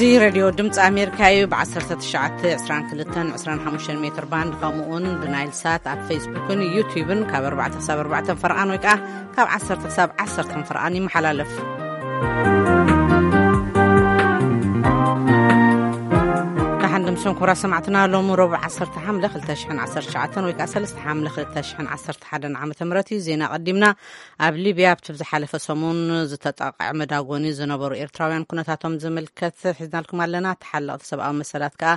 እዚ ሬድዮ ድምፂ ኣሜሪካ እዩ። ብ1922-25 ሜትር ባንድ፣ ከምኡውን ብናይል ሳት ኣብ ፌስቡክን ዩቲዩብን ካብ ኣርባዕተ ክሳብ ኣርባዕተ ፈርቓን ወይ ከዓ ካብ ዓሰርተ ክሳብ ዓሰርተ ፈርቓን ይመሓላለፍ። ደሓን ድምፅን ኩራ ሰማዕትና፣ ሎሚ ረቡዕ ዓሰርተ ሓምለ ክልተ ሽሕን ዓሰርተ ትሽዓተን ወይ ከዓ ሰለስተ ሓምለ ክልተ ሽሕን ዓሰርተ ሓደን ዓመተ ምህረት እዩ። ዜና ቀዲምና። ኣብ ሊብያ ኣብቲ ዝሓለፈ ሰሙን ዝተጣቕዐ መዳጎኒ ዝነበሩ ኤርትራውያን ኩነታቶም ዝምልከት ሒዝናልኩም ኣለና። ተሓለቕቲ ሰብኣዊ መሰላት ከኣ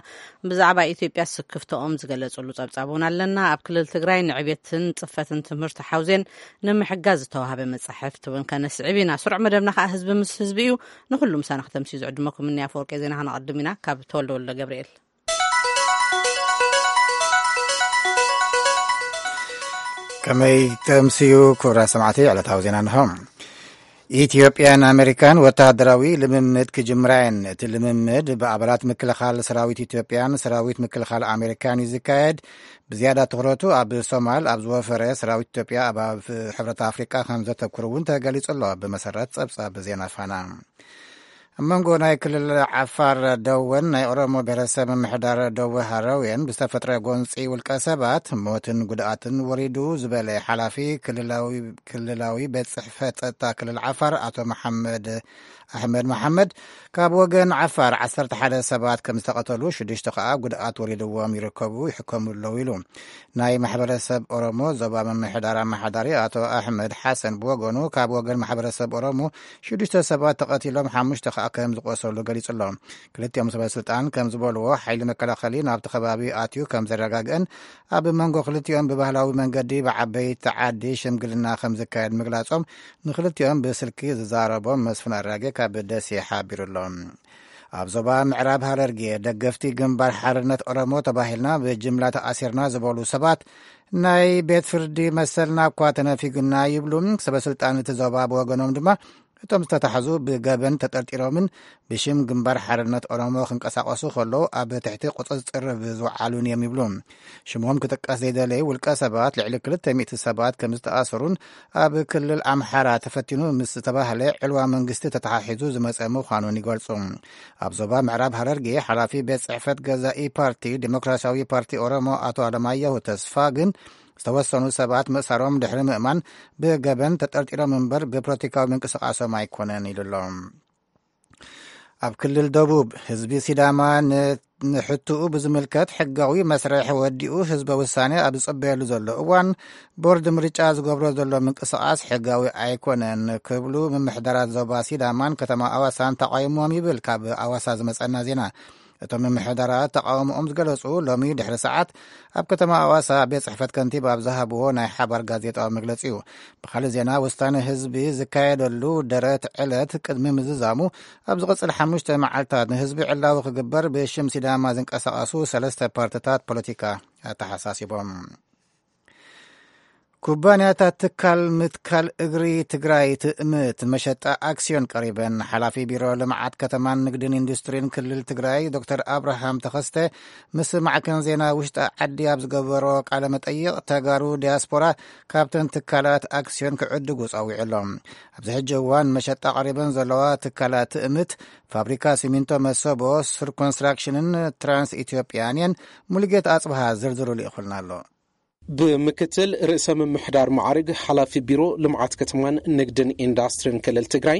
ብዛዕባ ኢትዮጵያ ስክፍታኦም ዝገለጹሉ ጸብጻብ እውን ኣለና። ኣብ ክልል ትግራይ ንዕቤትን ጽፈትን ትምህርቲ ሓውዜን ንምሕጋዝ ዝተዋህበ መጻሕፍቲ እውን ከነስዕብ ኢና። ስሩዕ መደብና ከኣ ህዝቢ ምስ ህዝቢ እዩ። ንኹሉ ምሳና ከተምስዩ ዝዕድመኩም እኒ ኣፈወርቂ ዜና ከነቐድም ኢና። ካብ ተወልደ ወልደ ገብርኤል። ከመይ ተምስዩ ክቡራት ሰማዕቲ፣ ዕለታዊ ዜና እንሆ። ኢትዮጵያን ኣሜሪካን ወተሃደራዊ ልምምድ ክጅምራ እየን። እቲ ልምምድ ብኣባላት ምክልኻል ሰራዊት ኢትዮጵያን ሰራዊት ምክልኻል ኣሜሪካን እዩ ዝካየድ። ብዝያዳ ትኹረቱ ኣብ ሶማል ኣብ ዝወፈረ ሰራዊት ኢትዮጵያ ኣብ፣ ኣብ ሕብረት ኣፍሪቃ ከም ዘተኩር እውን ተገሊጹ ኣሎ፣ ብመሰረት ጸብጻብ ዜና ፋና። ኣብ መንጎ ናይ ክልል ዓፋር ደወን ናይ ኦሮሞ ብሔረሰብ ምምሕዳር ደወ ሃረውየን ብዝተፈጥረ ጎንፂ ውልቀ ሰባት ሞትን ጉድኣትን ወሪዱ ዝበለ ሓላፊ ክልላዊ፣ ክልላዊ ቤት ጽሕፈት ጸጥታ ክልል ዓፋር ኣቶ መሓመድ ኣሕመድ መሓመድ፣ ካብ ወገን ዓፋር ዓሰርተ ሓደ ሰባት ከም ዝተቐተሉ፣ ሽዱሽተ ከኣ ጉድኣት ወሪድዎም ይርከቡ፣ ይሕከሙ ኣለዉ ኢሉ። ናይ ማሕበረሰብ ኦሮሞ ዞባ ምምሕዳር ኣመሓዳሪ ኣቶ ኣሕመድ ሓሰን ብወገኑ፣ ካብ ወገን ማሕበረሰብ ኦሮሞ ሽዱሽተ ሰባት ተቐቲሎም፣ ሓሙሽተ ከኣ ከም ዝቆሰሉ ገሊጹ ኣሎ። ክልቲኦም ሰበ ስልጣን ከም ዝበልዎ፣ ሓይሊ መከላኸሊ ናብቲ ከባቢ ኣትዩ ከም ዘረጋግአን፣ ኣብ መንጎ ክልቲኦም ብባህላዊ መንገዲ ብዓበይቲ ዓዲ ሽምግልና ከም ዝካየድ ምግላጾም ንክልቲኦም ብስልኪ ዝዛረቦም መስፍን ኣራጌ ካብ ደሴ ሓቢሩ ኣሎ። ኣብ ዞባ ምዕራብ ሃረርጌ ደገፍቲ ግንባር ሓርነት ኦሮሞ ተባሂልና ብጅምላ ተኣሲርና ዝበሉ ሰባት፣ ናይ ቤት ፍርዲ መሰልና እኳ ተነፊጉና ይብሉ። ሰበ ስልጣን እቲ ዞባ ብወገኖም ድማ፣ እቶም ዝተታሕዙ ብገበን ተጠርጢሮምን ብሽም ግንባር ሓርነት ኦሮሞ ክንቀሳቐሱ ከለዉ ኣብ ትሕቲ ቁጽጽር ዝውዓሉን እዮም ይብሉ። ሽሞም ክጥቀስ ዘይደለዩ ውልቀ ሰባት፣ ልዕሊ ክልተ ሚእቲ ሰባት ከም ዝተኣሰሩን፣ ኣብ ክልል ኣምሓራ ተፈቲኑ ምስ ዝተባህለ ዕልዋ መንግስቲ ተተሓሒዙ ዝመጸ ምዃኑን ይገልጹ። ኣብ ዞባ ምዕራብ ሃረርጌ፣ ሓላፊ ቤት ጽሕፈት ገዛኢ ፓርቲ ዲሞክራሲያዊ ፓርቲ ኦሮሞ ኣቶ ኣለማየሁ ተስፋ ግን፣ ዝተወሰኑ ሰባት ምእሳሮም ድሕሪ ምእማን፣ ብገበን ተጠርጢሮም እምበር ብፖለቲካዊ ምንቅስቃሶም ኣይኮነን ኢሉ ኣሎ። ኣብ ክልል ደቡብ፣ ህዝቢ ሲዳማ ን-፣ ንሕትኡ ብዝምልከት ሕጋዊ መስርሕ ወዲኡ ህዝበ ውሳኔ ኣብ ዝጽበየሉ ዘሎ እዋን፣ ቦርድ ምርጫ ዝገብሮ ዘሎ ምንቅስቃስ ሕጋዊ ኣይኮነን ክብሉ ምምሕዳራት ዞባ ሲዳማን ከተማ ኣዋሳን ተቃይሞም ይብል ካብ ኣዋሳ ዝመጸና ዜና። እቶም ምምሕዳራት ተቃውሞኦም ዝገለጹ ሎሚ ድሕሪ ሰዓት ኣብ ከተማ ኣዋሳ ቤት ጽሕፈት ከንቲባ ኣብ ዝሃብዎ ናይ ሓባር ጋዜጣዊ መግለጺ እዩ። ብኻልእ ዜና፣ ውሳነ ህዝቢ ዝካየደሉ ደረት ዕለት ቅድሚ ምዝዛሙ፣ ኣብ ዝቕጽል ሓሙሽተ መዓልታት ንህዝቢ ዕላዊ ክግበር ብሽም ሲዳማ ዝንቀሳቐሱ ሰለስተ ፓርትታት ፖለቲካ ኣተሓሳሲቦም። ኩባንያታት ትካል ምትካል እግሪ ትግራይ ትእምት መሸጣ ኣክስዮን ቀሪበን። ሓላፊ ቢሮ ልምዓት ከተማን ንግድን ኢንዱስትሪን ክልል ትግራይ ዶክተር ኣብርሃም ተኸስተ ምስ ማዕከን ዜና ውሽጢ ዓዲ ኣብ ዝገበሮ ቃለ መጠይቕ፣ ተጋሩ ዲያስፖራ ካብተን ትካላት ኣክስዮን ክዕድጉ ጸዊዑ ኣሎ። ኣብዚ ሕጂ እዋን መሸጣ ቀሪበን ዘለዋ ትካላት ትእምት ፋብሪካ ሲሚንቶ መሰቦ፣ ሱር ኮንስትራክሽንን ትራንስ ኢትዮጵያን እየን። ሙሉጌታ ኣጽብሃ ዝርዝሩ ልኢኹልና ኣሎ። ብምክትል ርእሰ ምምሕዳር ማዕርግ ሓላፊ ቢሮ ልምዓት ከተማን ንግድን ኢንዳስትሪን ክልል ትግራይ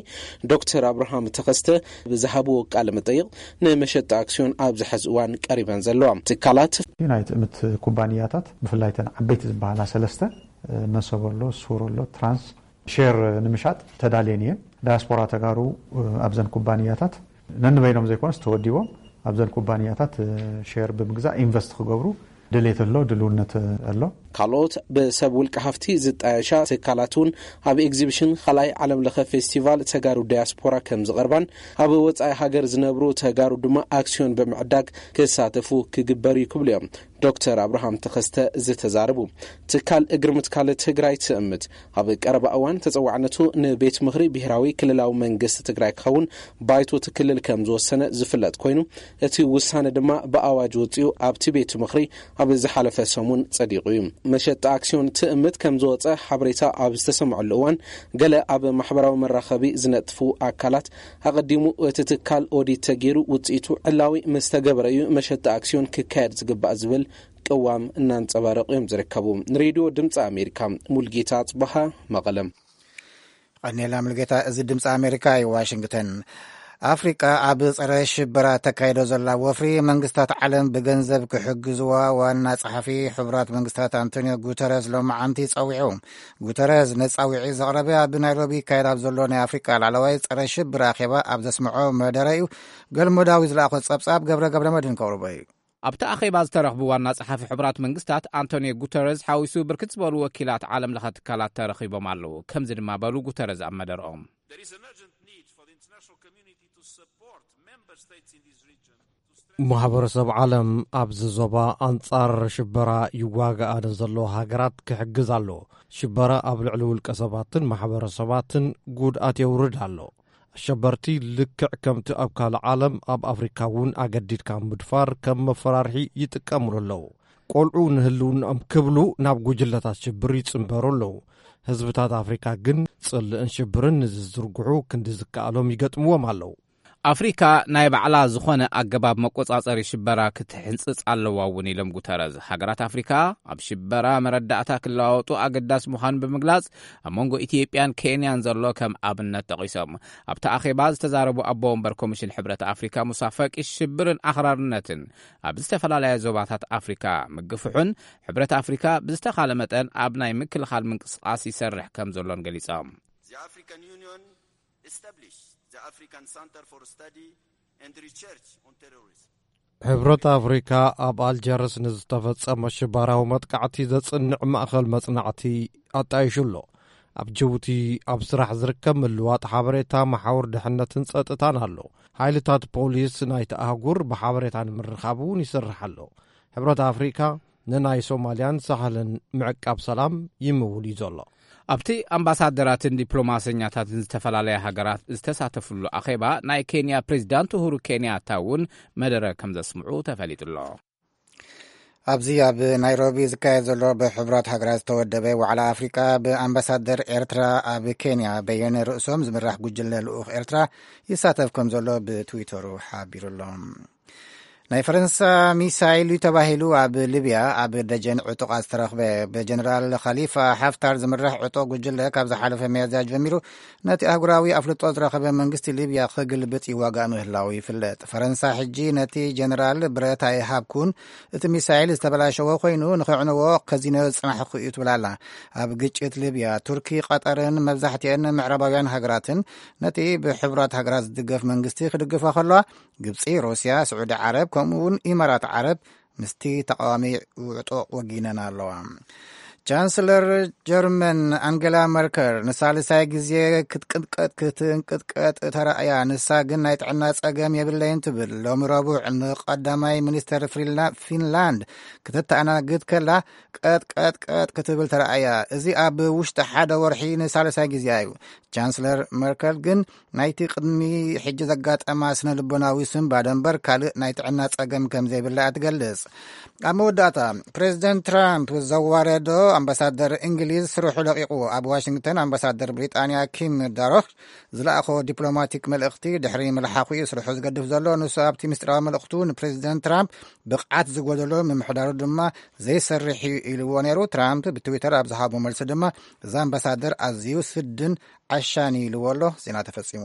ዶክተር ኣብርሃም ተኸስተ ብዝሃብዎ ቃለ መጠይቕ፣ ንመሸጣ ኣክስዮን ኣብዚ ሕዚ እዋን ቀሪበን ዘለዋ ትካላት፣ ናይ ትእምት ኩባንያታት፣ ብፍላይ ተን ዓበይቲ ዝበሃላ ሰለስተ፣ መሰቦ ኣሎ፣ ሱር ኣሎ፣ ትራንስ፣ ሼር ንምሻጥ ተዳልየን እየን። ዳያስፖራ ተጋሩ ኣብዘን ኩባንያታት ነንበይኖም ዘይኮነስ ተወዲቦም ኣብዘን ኩባንያታት ሼር ብምግዛእ ኢንቨስት ክገብሩ ድሌት ኣሎ፣ ድልውነት ኣሎ። ካልኦት ብሰብ ውልቀ ሃፍቲ ዝጣየሻ ትካላት እውን ኣብ ኤግዚቢሽን ካልኣይ ዓለም ለኸ ፌስቲቫል ተጋሩ ዳያስፖራ ከም ዝቐርባን፣ ኣብ ወጻኢ ሃገር ዝነብሩ ተጋሩ ድማ ኣክስዮን ብምዕዳግ ክሳተፉ ክግበር እዩ ክብሉ እዮም ዶክተር ኣብርሃም ተኸስተ ዝተዛረቡ። ትካል እግሪ ምትካል ትግራይ ትእምት ኣብ ቀረባ እዋን ተጸዋዕነቱ ንቤት ምኽሪ ብሄራዊ ክልላዊ መንግስቲ ትግራይ ክኸውን ባይቶ እቲ ክልል ከም ዝወሰነ ዝፍለጥ ኮይኑ፣ እቲ ውሳነ ድማ ብኣዋጅ ወጺኡ ኣብቲ ቤት ምኽሪ ኣብ ዝሓለፈ ሰሙን ጸዲቑ እዩ። መሸጣ ኣክሲዮን ትእምት ከም ዝወጸ ሓበሬታ ኣብ ዝተሰምዐሉ እዋን፣ ገለ ኣብ ማሕበራዊ መራኸቢ ዝነጥፉ ኣካላት፣ ኣቐዲሙ እቲ ትካል ኦዲት ተገይሩ ውጽኢቱ ዕላዊ ምስ ተገበረ እዩ መሸጣ ኣክሲዮን ክካየድ ዝግባእ ዝብል ቅዋም እናንጸባረቑ እዮም ዝርከቡ። ንሬድዮ ድምፂ ኣሜሪካ፣ ሙልጌታ ኣጽበሃ፣ መቐለም። ቀኔላ ሙልጌታ። እዚ ድምፂ ኣሜሪካ እዩ፣ ዋሽንግተን። ኣፍሪቃ ኣብ ጸረ ሽበራ ተካይዶ ዘላ ወፍሪ፣ መንግስታት ዓለም ብገንዘብ ክሕግዝዋ ዋና ጸሓፊ ሕቡራት መንግስታት ኣንቶኒዮ ጉተረዝ ሎማዓንቲ ጸዊዑ። ጉተረዝ ነጻዊዒ ዘቕረበ ኣብ ናይሮቢ ይካየድ ኣብ ዘሎ ናይ ኣፍሪቃ ላዕለዋይ ጸረ ሽብር ኣኼባ ኣብ ዘስምዖ መደረ እዩ። ገልሞ ዳዊት ዝለኣኾ ጸብጻብ ገብረ ገብረ መድህን ከቕርቦ እዩ። ኣብቲ ኣኼባ ዝተረኽቡ ዋና ጸሓፊ ሕቡራት መንግስታት ኣንቶኒዮ ጉተረዝ ሓዊሱ ብርክት ዝበሉ ወኪላት ዓለም ለኸ ትካላት ተረኺቦም ኣለዉ። ከምዚ ድማ በሉ ጉተረዝ ኣብ መደርኦም። There is an urgent need for the international community to support member states in this region to strengthen ማሕበረሰብ ዓለም ኣብዚ ዞባ ኣንጻር ሽበራ ይዋጋኣ ንዘለዋ ሃገራት ክሕግዝ ኣሎ። ሽበራ ኣብ ልዕሊ ውልቀ ሰባትን ማሕበረሰባትን ጉድኣት የውርድ ኣሎ። ኣሸበርቲ ልክዕ ከምቲ ኣብ ካልእ ዓለም ኣብ ኣፍሪካ እውን ኣገዲድካ ምድፋር ከም መፈራርሒ ይጥቀምሉ ኣለዉ። ቆልዑ ንህልውናኦም ክብሉ ናብ ጉጅለታት ሽብር ይጽንበሩ ኣለዉ። ህዝብታት ኣፍሪካ ግን ጽልእን ሽብርን ንዝዝርግሑ ክንዲ ዝከኣሎም ይገጥምዎም ኣለዉ። ኣፍሪካ ናይ ባዕላ ዝኾነ ኣገባብ መቆጻጸሪ ሽበራ ክትሕንጽጽ ኣለዋ እውን ኢሎም ጉተረዝ። ሃገራት ኣፍሪካ ኣብ ሽበራ መረዳእታ ክለዋወጡ ኣገዳሲ ምዃኑ ብምግላጽ፣ ኣብ መንጎ ኢትዮጵያን ኬንያን ዘሎ ከም ኣብነት ጠቒሶም። ኣብቲ ኣኼባ ዝተዛረቡ ኣቦ ወንበር ኮሚሽን ሕብረት ኣፍሪካ ሙሳ ፈቂ፣ ሽብርን ኣኽራርነትን ኣብ ዝተፈላለያ ዞባታት ኣፍሪካ ምግፍሑን፣ ሕብረት ኣፍሪካ ብዝተኻለ መጠን ኣብ ናይ ምክልኻል ምንቅስቓስ ይሰርሕ ከም ዘሎን ገሊጾም። The African Union established the African Center for Study and Research on Terrorism. ሕብረት ኣፍሪካ ኣብ ኣልጀርስ ንዝተፈጸመ ሽበራዊ መጥቃዕቲ ዘጽንዕ ማእኸል መጽናዕቲ ኣጣይሹ ኣሎ። ኣብ ጅቡቲ ኣብ ስራሕ ዝርከብ ምልዋጥ ሓበሬታ፣ መሓውር ድሕነትን ጸጥታን ኣሎ። ሓይልታት ፖሊስ ናይቲ ኣህጉር ብሓበሬታ ንምርኻብ እውን ይሰርሕ ኣሎ። ሕብረት ኣፍሪካ ንናይ ሶማልያን ሳሕልን ምዕቃብ ሰላም ይምውል እዩ ዘሎ። ኣብቲ ኣምባሳደራትን ዲፕሎማሰኛታትን ዝተፈላለያ ሃገራት ዝተሳተፍሉ ኣኼባ፣ ናይ ኬንያ ፕሬዚዳንት ኡሁሩ ኬንያታ እውን መደረ ከም ዘስምዑ ተፈሊጡ ኣሎ። ኣብዚ ኣብ ናይሮቢ ዝካየድ ዘሎ ብሕቡራት ሃገራት ዝተወደበ ዋዕላ ኣፍሪቃ፣ ብኣምባሳደር ኤርትራ ኣብ ኬንያ በየነ ርእሶም ዝምራሕ ጉጅለ ልኡኽ ኤርትራ ይሳተፍ ከም ዘሎ ብትዊተሩ ሓቢሩ ኣሎ። ናይ ፈረንሳ ሚሳይል እዩ ተባሂሉ ኣብ ሊብያ ኣብ ደጀን ዕጡቓት ዝተረኽበ። ብጀነራል ኸሊፋ ሓፍታር ዝምራሕ ዕጡቕ ጉጅለ ካብ ዝሓለፈ ሚያዝያ ጀሚሩ ነቲ ኣህጉራዊ ኣፍልጦ ዝረኸበ መንግስቲ ሊብያ ክግልብጥ ይዋጋእ ምህላው ይፍለጥ። ፈረንሳ ሕጂ ነቲ ጀነራል ብረት ኣይሃብኩን፣ እቲ ሚሳይል ዝተበላሸወ ኮይኑ ንኸዕንዎ ከዚነዮ ዝጽናሕኩ እዩ ትብል ኣላ። ኣብ ግጭት ሊብያ ቱርኪ፣ ቀጠርን መብዛሕትኤን ምዕራባውያን ሃገራትን ነቲ ብሕቡራት ሃገራት ዝድገፍ መንግስቲ ክድግፋ ከለዋ፣ ግብጺ፣ ሩስያ፣ ስዑዲ ዓረብ ከምኡ እውን ኢማራት ዓረብ ምስቲ ተቃዋሚ ውዕጦ ወጊነን ኣለዋ። ቻንስለር ጀርመን ኣንገላ መርከል ንሳልሳይ ግዜ ክትቅጥቀጥ ክትንቅጥቀጥ ተራእያ። ንሳ ግን ናይ ጥዕና ጸገም የብለይን ትብል። ሎሚ ረቡዕ ንቀዳማይ ሚኒስተር ፍሪላ-፣ ፊንላንድ ክትተኣናግድ ከላ ቀጥ ቀጥ ቀጥ ክትብል ተራእያ። እዚ ኣብ ውሽጢ ሓደ ወርሒ ንሳልሳይ ግዜ እዩ። ቻንስለር መርከል ግን ናይቲ ቅድሚ ሕጂ ዘጋጠማ ስነ ልቦናዊ ስንባደ እምበር ካልእ ናይ ጥዕና ጸገም ከም ዘይብላ እያ ትገልጽ። ኣብ መወዳእታ፣ ፕሬዚደንት ትራምፕ ዘዋረዶ ኣምባሳደር እንግሊዝ ስርሑ ለቂቑ። ኣብ ዋሽንግተን ኣምባሳደር ብሪጣንያ ኪም ዳሮክ ዝለኣኾ ዲፕሎማቲክ መልእኽቲ ድሕሪ ምልሓኹ እዩ ስርሑ ዝገድፍ ዘሎ። ንሱ ኣብቲ ምስጢራዊ መልእኽቱ ንፕሬዚደንት ትራምፕ ብቕዓት ዝጎደሎ፣ ምምሕዳሩ ድማ ዘይሰርሕ እዩ ኢልዎ ነይሩ። ትራምፕ ብትዊተር ኣብ ዝሃቦ መልሲ ድማ፣ እዚ ኣምባሳደር ኣዝዩ ስድን ዓሻን ኢልዎ ኣሎ። ዜና ተፈጺሙ።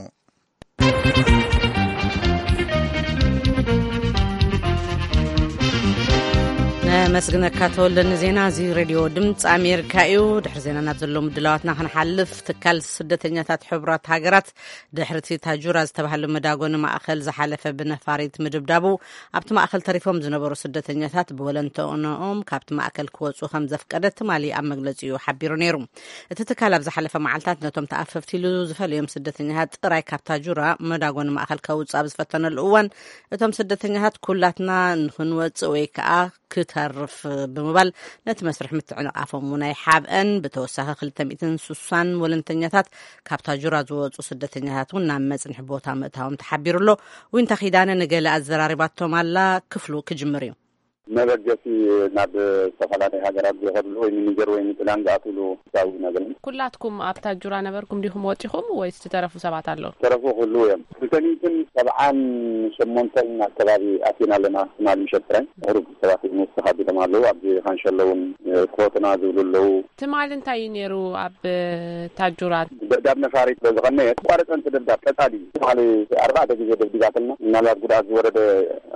ነመስግነካ ተወልደ ንዜና። እዚ ሬድዮ ድምፂ ኣሜሪካ እዩ። ድሕሪ ዜና ናብ ዘለዉ ምድላዋትና ክንሓልፍ፣ ትካል ስደተኛታት ሕቡራት ሃገራት ድሕሪ እቲ ታጁራ ዝተባህለ መዳጎኒ ማእኸል ዝሓለፈ ብነፋሪት ምድብዳቡ፣ ኣብቲ ማእከል ተሪፎም ዝነበሩ ስደተኛታት ብወለንተኦም ካብቲ ማእከል ክወጹ ከም ዘፍቀደ ትማሊ ኣብ መግለጺኡ ሓቢሩ ነይሩ። እቲ ትካል ኣብ ዝሓለፈ መዓልታት ነቶም ተኣፈፍቲ ኢሉ ዝፈለዮም ስደተኛታት ጥራይ ካብ ታጁራ መዳጎኒ ማእከል ከውጽእ ኣብ ዝፈተነሉ እዋን፣ እቶም ስደተኛታት ኩላትና ንኽንወጽእ ወይ ከኣ ክተርፍ ብምባል ነቲ መስርሕ ምትዕንቓፎም እውን ኣይሓብአን። ብተወሳኺ ክልተ ሚእትን ስሳን ወለንተኛታት ካብ ታጁራ ዝወጹ ስደተኛታት እውን ናብ መጽንሒ ቦታ ምእታዎም ተሓቢሩ ኣሎ። ዊንታ ኪዳነ ንገለ ኣዘራሪባቶም ኣላ። ክፍሉ ክጅምር እዩ። መበገሲ ናብ ዝተፈላለዩ ሃገራት ዝኸድሉ ወይ ንኒጀር ወይ ንጥልያን ዝኣትውሉ ህዝባዊ ነገር እዩ። ኩላትኩም ኣብ ታጁራ ነበርኩም ዲኹም ወጺኹም ወይስ ዝተረፉ ሰባት ኣለዉ? ዝተረፉ ክህልዉ እዮም። ክልተ ሚእትን ሰብዓን ሸሞንተን ኣከባቢ ኣቲና ኣለና። ትማሊ ምሸት ጥራይ ቁሩብ ሰባት ንውስኽ ኣቢሎም ኣለዉ። ኣብዚ ካንሸሎ እውን ክወጡና ዝብሉ ኣለዉ። ትማሊ እንታይ እዩ ነይሩ ኣብ ታጁራ? ደብዳብ ነፋሪት በዝቐነየ ተቋረጸ። እቲ ደብዳብ ቀጻሊ ትማሊ ኣርባዕተ ግዜ ደብዲባትና። ምናልባት ጉድኣት ዝወረደ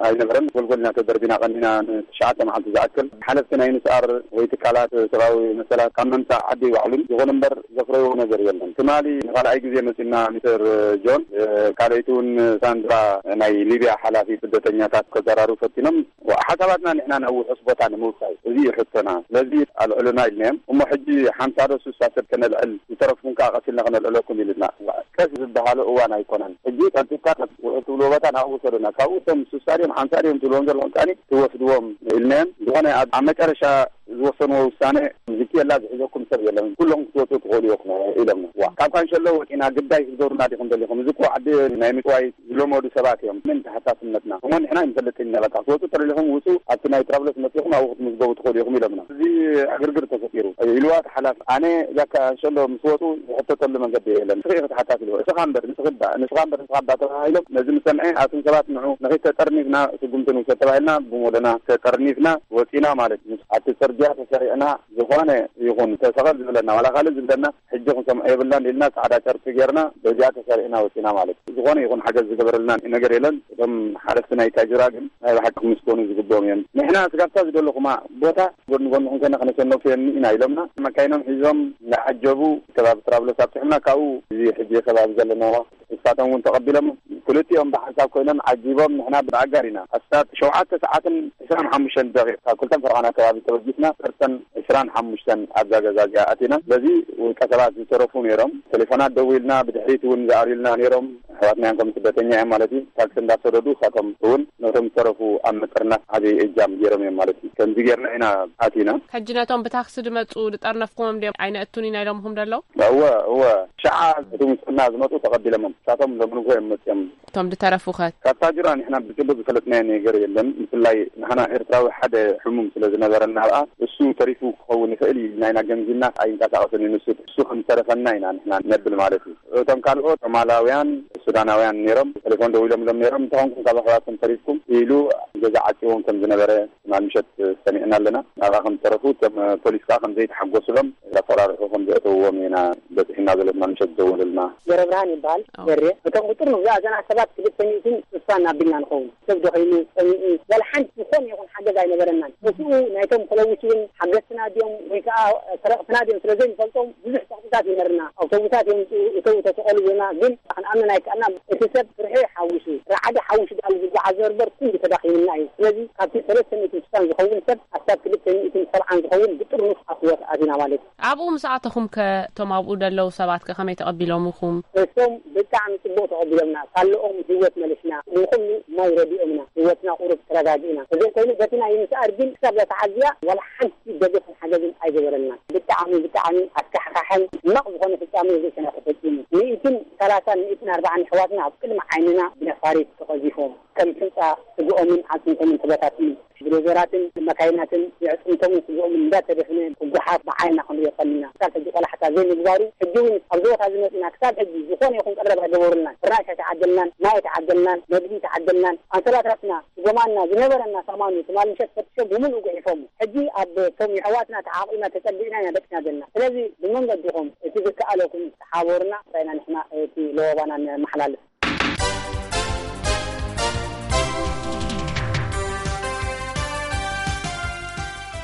ኣይነበረን። ጎልጎልና ተደርቢና ቀኒና ንትሽዓተ መዓልቲ ዝኣክል ሓለፍቲ ናይ ንስኣር ወይ ትካላት ሰብኣዊ መሰላት ካብ ምምጻእ ዓዲ ይባዕሉን። ይኹን እምበር ዘፍረይዎ ነገር የለን። ትማሊ ንኻልኣይ ግዜ መጺና ሚስተር ጆን፣ እ፣ ካልኣይቲ እውን ሳንድራ ናይ ሊብያ ሓላፊ ስደተኛታት ከዘራርቡ ፈቲኖም። ሓሳባትና ንሕና ናብ ውሑስ ቦታ ንምውሳይ፣ እዚ እዩ ሕቶና። ስለዚ ኣልዕሉና ኢልናዮም። እሞ ሕጂ ሓምሳ ዶ ስሳ ሰብ ከነልዕል፣ ዝተረፍኩም ከኣ ቀስ ኢልና ከነልዕለኩም ኢሉና። ቀስ ዝበሃሎ እዋን ኣይኮነን። ሕጂ ቀልጢፍካ ውሑስ ትብልዎ ቦታ ናብኡ ውሰዱና። ካብኡ እቶም ስሳ ድዮም ሓምሳ ድዮም ትብልዎም ዘለኹም ከኣኒ ትወስድዎም ኢልናዮም። ዝኾነ ኣብ፣ ኣብ መጨረሻ ዝወሰንዎ ውሳነ፣ ዝኪየላ ዝሕዘኩም ሰብ የለን፣ ኩለኹም ክትወፁ ትኽእሉ ኢኹም ኢሎምና። ዋ፣ ካብ ካንሸሎ ወፂና ግዳይ ክትገብሩና ዲኹም ደሊኹም? እዚ እኮ ዓዲ ናይ ምፅዋይ ዝለመዱ ሰባት እዮም። ምን ተሓሳስነትና እሞ ንሕና ይንፈልጥ ኢና። በቃ ክትወፁ ተደሊኹም ውፁ፣ ኣብቲ ናይ ትራቭለስ መፂኹም ኣብኡ ክትምዝገቡ ትኽእሉ ኢኹም ኢሎምና። እዚ ዕግርግር ተፈጢሩ ኢልዋ እቲ ሓላፊ። ኣነ እዛ ካንሸሎ ምስ ወፁ ዝሕተተሉ መንገዲ የለን። ንስኺ ኢኺ ተሓታቲ ኢልዎ። እስኻ እምበር ንስኺ እባ፣ ንስኻ እምበር ንስኻ እባ ተባሂሎም ነዚ ምስ ሰምዐ ኣቱም ሰባት ንዑ ንኺድ ተጠርኒፍና ስጉምቲ ንውሰድ ተባሂልና ብሞደና ተጠርኒፍና ወፂና ማለት እዩ። ኣብቲ ፅርግያ ተሰሪዕና ዝኾነ ይኹን ተሰቐል ዝብለና ዋላ ካልእ ዝብለና ሕጂ ክንሰምዖ የብልናን ኢልና ጻዕዳ ጨርቂ ጌርና በዚኣ ተሰሪዕና ወፂና ማለት እዩ። ዝኾነ ይኹን ሓገዝ ዝገበረልና ነገር የለን። እቶም ሓለፍቲ ናይ ታጅራ ግን ናይ ብሓቂ ክምስገኑ ዝግብኦም እዮም። ንሕና ስጋብታ ዝደለኹማ ቦታ ጎድኒ ጎድንኹም ኮይና ከነሸነፍየኒ ኢና ኢሎምና መካይኖም ሒዞም እንዳዓጀቡ ከባቢ ትራብሎስ ኣብፅሑና። ካብኡ እዚ ሕጂ ከባቢ ዘለና ንሳቶም እውን ተቐቢሎም ክልቲኦም ብሓንሳብ ኮይኖም ዓጂቦም ንሕና ብኣጋር ኢና። ኣስታት ሸውዓተ ሰዓትን ዕስራን ሓሙሽተን ደቂቕ ካብ ክልተን ፈረቓን ኣከባቢ ተበጊስና ዓሰርተን ዕስራን ሓሙሽተን ኣብዛ ገዛ እዚኣ ኣቲና። በዚ ውልቀ ሰባት ዝተረፉ ነይሮም። ቴሌፎናት ደዊልና ብድሕሪት እውን ዝኣልዩልና ነይሮም። ኣሕዋትና እዮም ከም ስደተኛ እዮም ማለት እዩ። ታክሲ እንዳሰደዱ እሳቶም እውን ነቶም ዝተረፉ ኣብ ምጥርናፍ ዓብዪ እጃም ገይሮም እዮም ማለት እዩ። ከምዚ ጌርና ኢና ኣቲና። ሕጂ ነቶም ብታክሲ ዝመፁ ዝጠርነፍኩሞም ድዮም ኣይነእቱን ኢና ኢሎምኹም ደለዉ? እወ፣ እወ። ሸዓ እቲ ምስልና ዝመፁ ተቐቢሎሞም። እሳቶም ሎሚ ንግሆ እዮም መፅዮም። እቶም ዝተረፉ ኸ? ካብ ታጅራ ንሕና ብፅቡቅ ዝፈለጥናዮ ነገር የለን። ብፍላይ ንሕና ኤርትራዊ ሓደ ሕሙም ስለ ዝነበረና ኣብኣ እሱ ተሪፉ ክኸውን ይኽእል እዩ ኢልና ኢና ገምጊምና። ኣይንቀሳቐስን እዩ ንሱ። እሱ ከም ዝተረፈና ኢና ንሕና ነብል ማለት እዩ። እቶም ካልኦት ሶማላውያን፣ ሱዳናውያን ነይሮም። ቴሌፎን ደዊሎምሎም ነይሮም። እንተኾንኩም ካብ ኣሕዋትኩም ተሪፍኩም ኢሉ ገዛ ዓፂዎም ከም ዝነበረ ትማል ምሸት ሰሚዕና ኣለና። ናብኣ ከም ዝተረፉ እቶም ፖሊስ ከዓ ከም ዘይተሓጎስሎም እንዳፈራርሑ ከም ዘእተውዎም ኢና በፂሕና ዘሎ ትማል ምሸት ዝደወለልና። ገብረብርሃን ይበሃል። ኣዎ። ገሬ። እቶም ቁፅር ንብዛ እዘና ሰባት ክልተ ሚእትን ስሳን ኣቢልና ንኸውን። ሰብ ደኺሙ፣ ፀሚኡ፣ ዋላ ሓንቲ ዝኾነ ይኹን ሓገዝ ኣይነበረናን። ምስኡ ናይቶም ተለዊሱ እውን ሓገዝትና ድዮም ወይ ከዓ ሰረቕትና ድዮም ስለ ዘይንፈልጦም ብዙሕ ጸቕጥታት ይነበርና። ኣውቶቡሳት የምፅኡ፣ እተው፣ ተሰቐሉ ይብሉና፣ ግን ክንኣምን ኣይከኣልናን። እቲ ሰብ ፍርሒ ሓዊሱ፣ ራዕዲ ሓዊሱ ዳኣ ዝጓዓዝ ነበር ኩሉ ተዳኺምና እዩ። ስለዚ ካብቲ ሰለስተ ሚእትን ስሳን ዝኸውን ሰብ ኣስታት ክልተ ሚእትን ሰብዓን ዝኸውን ብጥርኑፍ ኣብ ህይወት ኣቲና ማለት እዩ። ኣብኡ ምስ ኣተኹም ከ እቶም ኣብኡ ደለዉ ሰባት ከ ከመይ ተቐቢሎምኹም? እሶም ብጣዕሚ ጽቡቕ ተቐቢሎምና። ካለኦም ህይወት መሊስና፣ ንኹሉ ማይ ረዲኦምና፣ ህይወትና ቁሩብ ተረጋጊእና። እዚ ኮይኑ በቲ ናይ ምስኣር ግን ክሳብ እዛ ተዓዝያ ዋላ ሓንቲ ደገፍን ሓገዝን ኣይገበረልናን። ብጣዕሚ፣ ብጣዕሚ ኣስካሕካሕን ሕማቕ ዝኾነ ፍጻሜ ርእስና ተፈጺሙ። ሚእትን ሰላሳን ሚእትን ኣርባዓን ኣሕዋትና ኣብ ቅድሚ ዓይንና ብነፋሪት ተቐዚፎም፣ ከም ሕንጻ ስግኦምን ኣዕጽምቶምን ተበታቲኑ። ብዶዘራትን መካይናትን የዕጽምቶምን ስግኦምን እንዳተደፍነ ብጓሓፍ ብዓይንና ክንሪኦ ቀኒና። ክሳብ ሕጂ ቆላሕታ ዘይምግባሩ፣ ሕጂ እውን ኣብዚ ቦታ እዚ መጺና ክሳብ ሕጂ ዝኾነ ይኹን ቀረብ ኣይገበሩልናን። ፍራሽ ኣይተዓደልናን፣ ማይ ኣይተዓደልናን፣ መግቢ ኣይተዓደልናን። ኣንሶላታትና፣ ስጎማና፣ ዝነበረና ሳማኑ ትማል ምሸት ፈቲሾም ብምሉኡ ጉሒፎም። ሕጂ ኣብ እቶም የሕዋትና ተዓቂብና ተጸጊዕና ኢና ደቂስና ዘለና። ስለዚ ብመንገድኹም እቲ ዝከኣለኩም ተሓበሩና፣ እንታይ ኢና ንሕና እቲ ለበዋና ነመሓላልፍ።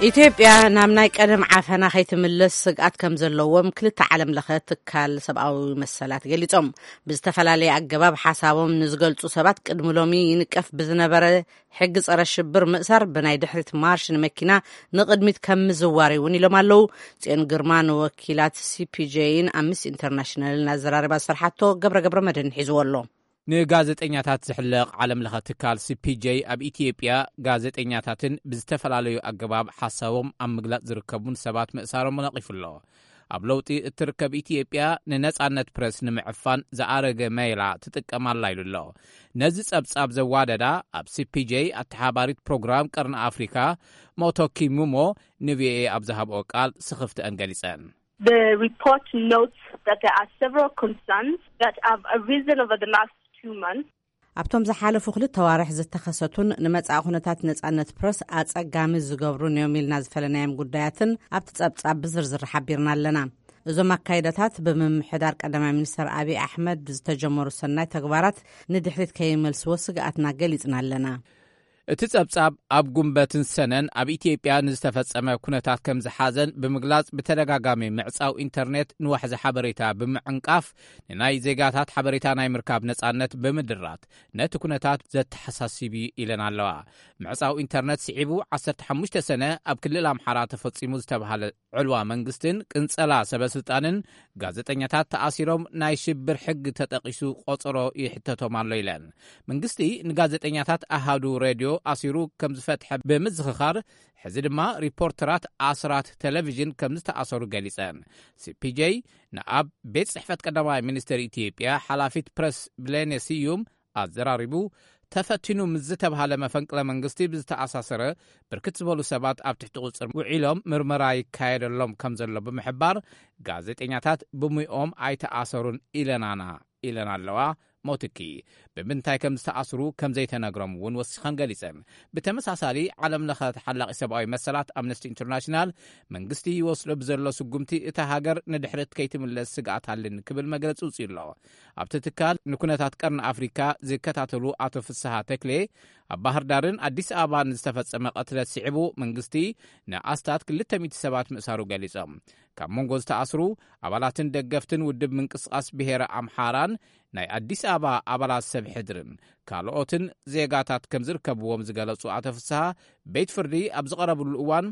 ኢትዮጵያ ናብ ናይ ቀደም ዓፈና ከይትምለስ ስግኣት ከም ዘለዎም ክልተ ዓለም ለኸ ትካል ሰብኣዊ መሰላት ገሊጾም። ብዝተፈላለየ ኣገባብ ሓሳቦም ንዝገልጹ ሰባት ቅድሚ ሎሚ ይንቀፍ ብዝነበረ ሕጊ ጸረ ሽብር ምእሳር ብናይ ድሕሪት ማርሽ ንመኪና ንቕድሚት ከም ምዝዋር እውን ኢሎም ኣለዉ። ጽዮን ግርማ ንወኪላት ሲ ፒ ጄን ኣምነስቲ ኢንተርናሽናልን ኣዘራሪባ ዝሰርሓቶ ገብረ ገብረ መድህን ሒዝዎ ኣሎ። ንጋዜጠኛታት ዝሕለቕ ዓለም ለኸ ትካል ሲ ፒ ጄ ኣብ ኢትዮጵያ ጋዜጠኛታትን ብዝተፈላለዩ ኣገባብ ሓሳቦም ኣብ ምግላጽ ዝርከቡን ሰባት ምእሳሮም ነቒፉ ኣሎ። ኣብ ለውጢ እትርከብ ኢትዮጵያ ንነጻነት ፕረስ ንምዕፋን ዝኣረገ መይላ ትጥቀም ኣላ ኢሉ ኣሎ። ነዚ ጸብጻብ ዘዋደዳ ኣብ ሲ ፒ ጄ ኣተሓባሪት ፕሮግራም ቀርኒ ኣፍሪካ ሞቶኪ ሙሞ ን ቪ ኦ ኤ ኣብ ዝሃብኦ ቃል ስኽፍተአን ገሊጸን። The report notes that there are several concerns that have arisen over the last two months. ኣብቶም ዝሓለፉ ክልተ ዋርሕ ዝተኸሰቱን ንመጻኢ ኩነታት ነጻነት ፕረስ ኣጸጋሚ ዝገብሩን እዮም ኢልና ዝፈለናዮም ጉዳያትን ኣብቲ ጸብጻብ ብዝርዝር ሓቢርና ኣለና። እዞም ኣካይዳታት ብምምሕዳር ቀዳማይ ሚኒስተር ኣብይ ኣሕመድ ዝተጀመሩ ሰናይ ተግባራት ንድሕሪት ከይመልስዎ ስግኣትና ገሊጽና ኣለና። እቲ ጸብጻብ ኣብ ጉንበትን ሰነን ኣብ ኢትዮጵያ ንዝተፈጸመ ኩነታት ከም ዝሓዘን ብምግላጽ፣ ብተደጋጋሚ ምዕጻው ኢንተርኔት ንዋሕዚ ሓበሬታ ብምዕንቃፍ ንናይ ዜጋታት ሓበሬታ ናይ ምርካብ ነጻነት ብምድራት ነቲ ኩነታት ዘተሓሳስብ እዩ ኢለን ኣለዋ። ምዕጻው ኢንተርኔት ስዒቡ ዓሰርተ ሓሙሽተ ሰነ ኣብ ክልል ኣምሓራ ተፈጺሙ ዝተባህለ ዕልዋ መንግስትን ቅንጸላ ሰበስልጣንን፣ ጋዜጠኛታት ተኣሲሮም ናይ ሽብር ሕጊ ተጠቒሱ ቆጸሮ ይሕተቶም ኣሎ ኢለን። መንግስቲ ንጋዜጠኛታት ኣሃዱ ሬድዮ ኣሲሩ ከም ዝፈትሐ ብምዝኽኻር፣ ሕዚ ድማ ሪፖርተራት ኣስራት ቴሌቪዥን ከም ዝተኣሰሩ ገሊጸን። ሲ ፒ ጄ ንኣብ ቤት ጽሕፈት ቀዳማይ ሚኒስትር ኢትዮጵያ ሓላፊት ፕረስ ብሌኔ ስዩም ኣዘራሪቡ፣ ተፈቲኑ ምስ ዝተባህለ መፈንቅለ መንግስቲ ብዝተኣሳሰረ ብርክት ዝበሉ ሰባት ኣብ ትሕቲ ቁጽር ውዒሎም ምርመራ ይካየደሎም ከም ዘሎ ብምሕባር፣ ጋዜጠኛታት ብሙይኦም ኣይተኣሰሩን ኢለናና ኢለን ኣለዋ። ሞትኪ ብምንታይ ከም ዝተኣስሩ ከም ዘይተነግሮም እውን ወሲኸን ገሊጸን። ብተመሳሳሊ፣ ዓለም ለኸ ተሓላቒ ሰብኣዊ መሰላት ኣምነስቲ ኢንተርናሽናል መንግስቲ ይወስዶ ብዘሎ ስጉምቲ እታ ሃገር ንድሕሪት ከይትምለስ ስግኣት ኣለኒ ክብል መግለጺ ውፅዩ ኣሎ። ኣብቲ ትካል ንኩነታት ቀርኒ ኣፍሪካ ዝከታተሉ ኣቶ ፍስሃ ተክሌ፣ ኣብ ባህር ዳርን ኣዲስ ኣበባን ዝተፈጸመ ቅትለት ስዒቡ መንግስቲ ንኣስታት ክልተ ሚእቲ ሰባት ምእሳሩ ገሊጾም። ካብ መንጎ ዝተኣስሩ ኣባላትን ደገፍትን ውድብ ምንቅስቃስ ብሄረ ኣምሓራን ናይ ኣዲስ ኣበባ ኣባላት ሰብ ሕድርን ካልኦትን ዜጋታት ከም ዝርከብዎም ዝገለጹ ኣቶ ፍስሃ፣ ቤት ፍርዲ ኣብ ዝቐረብሉ እዋን